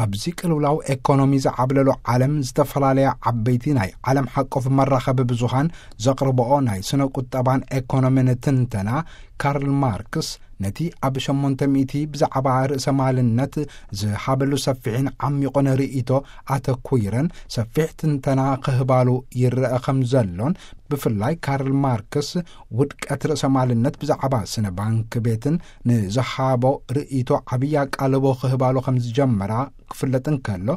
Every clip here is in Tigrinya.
ኣብዚ ቅልውላው ኤኮኖሚ ዝዓብለሎ ዓለም፣ ዝተፈላለያ ዓበይቲ ናይ ዓለም ሓቆፍ መራኸቢ ብዙሃን ዘቕርብኦ ናይ ስነ ቁጠባን ኤኮኖሚን ትንተና፣ ካርል ማርክስ ነቲ ኣብ ሸሞንተ ሚእቲ ብዛዕባ ርእሰ ማልነት ዝሃበሉ ሰፊሕን ዓሚቑን ርእይቶ ኣተኲረን ሰፊሕ ትንተና ክህባሉ ይረአ ከም ዘሎን፣ ብፍላይ ካርል ማርክስ ውድቀት ርእሰ ማልነት ብዛዕባ ስነ ባንክ ቤትን ንዝሃቦ ርእይቶ ዓብዪ ኣቃልቦ ክህባሉ ከም ዝጀመራ ክፍለጥ እንከሎ፣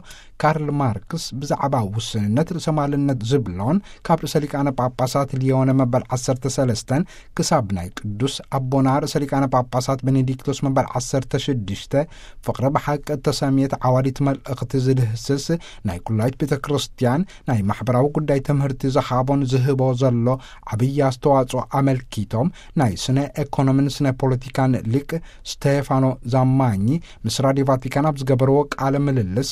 ካርል ማርክስ ብዛዕባ ውስንነት ርእሰ ማልነት ዝብሎን ካብ ርእሰ ሊቃነ ጳጳሳት ሊዮነ መበል ዓሰርተ ሰለስተን ክሳብ ናይ ቅዱስ ኣቦና ርእሰ ሊቃነ ጳጳሳት ቤኔዲክቶስ መበል ዓሰርተ ሽዱሽተ ፍቕሪ ብሓቂ እተሰምየት ዓዋዲት መልእኽቲ ዝድህስስ ናይ ኩላይት ቤተ ክርስቲያን ናይ ማሕበራዊ ጉዳይ ትምህርቲ ዝሃቦን ዝህቦ ዘሎ ዓብዪ ኣስተዋጽኦ ኣመልኪቶም፣ ናይ ስነ ኤኮኖሚን ስነ ፖለቲካን ሊቅ ስቴፋኖ ዛማኚ ምስ ራዲዮ ቫቲካን ኣብ ዝገበርዎ ቃለ ምልልስ፣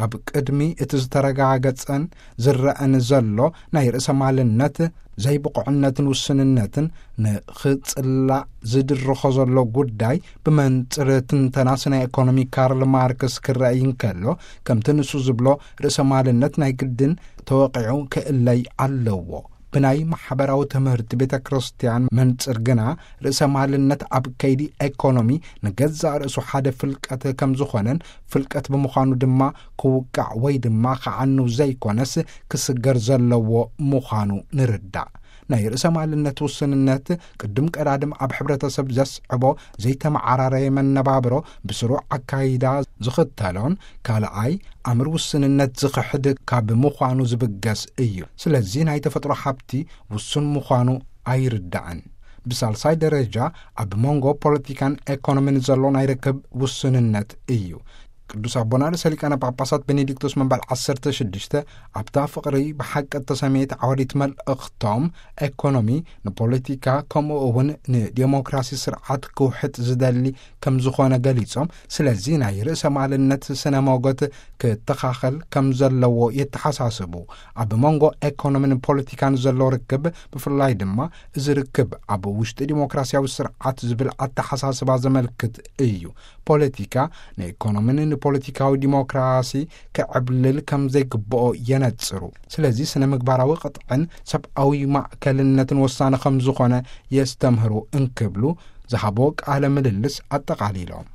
ኣብ ቅድሚ እቲ ዝተረጋገጸን ዝረአን ዘሎ ናይ ርእሰ ማልነት ዘይብቑዕነትን ውስንነትን ንኽጽላእ ዝድርኾ ዘሎ ጉዳይ ብመንጽር ትንተና ስነ ኤኮኖሚ ካርል ማርክስ ክረኣይ እንከሎ፣ ከምቲ ንሱ ዝብሎ ርእሰ ማልነት ናይ ግድን ተወቒዑ ክእለይ ኣለዎ። ብናይ ማሕበራዊ ትምህርቲ ቤተ ክርስቲያን መንጽር ግና፣ ርእሰ ማልነት ኣብ ከይዲ ኤኮኖሚ ንገዛእ ርእሱ ሓደ ፍልቀት ከም ዝኾነን፣ ፍልቀት ብምዃኑ ድማ ክውቃዕ ወይ ድማ ክዓንው ዘይኮነስ ክስገር ዘለዎ ምዃኑ ንርዳእ። ናይ ርእሰ ማልነት ውስንነት ቅድም ቀዳድም ኣብ ሕብረተሰብ ዘስዕቦ ዘይተመዓራረየ መነባብሮ ብስሩዕ ኣካይዳ ዝኽተሎን፣ ካልኣይ ኣምር ውስንነት ዝኽሕድ ካብ ምዃኑ ዝብገስ እዩ። ስለዚ ናይ ተፈጥሮ ሃብቲ ውሱን ምዃኑ ኣይርዳእን። ብሳልሳይ ደረጃ ኣብ መንጎ ፖለቲካን ኤኮኖሚን ዘሎ ናይ ርክብ ውስንነት እዩ። ቅዱስ ኣቦና ርእሰ ሊቃነ ጳጳሳት ቤኔዲክቶስ መበል ዓሰርተ ሽዱሽተ ኣብታ ፍቕሪ ብሓቂ እተሰመየት ዓወዲት መልእኽቶም፣ ኤኮኖሚ ንፖለቲካ ከምኡ እውን ንዴሞክራሲ ስርዓት ክውሕጥ ዝደሊ ከም ዝኾነ ገሊጾም፣ ስለዚ ናይ ርእሰ ማልነት ስነ ሞገት ክተኻኸል ከም ዘለዎ የተሓሳስቡ። ኣብ መንጎ ኤኮኖሚን ፖለቲካን ዘሎ ርክብ፣ ብፍላይ ድማ እዚ ርክብ ኣብ ውሽጢ ዲሞክራሲያዊ ስርዓት ዝብል ኣተሓሳስባ ዘመልክት እዩ። ፖለቲካ ንኤኮኖሚን ንፖለቲካዊ ዲሞክራሲ ክዕብልል ከም ዘይግብኦ የነጽሩ። ስለዚ ስነ ምግባራዊ ቅጥዕን ሰብኣዊ ማእከልነትን ወሳኒ ከም ዝኾነ የስተምህሩ እንክብሉ ዝሃቦ ቃለ ምልልስ ኣጠቓሊሎም።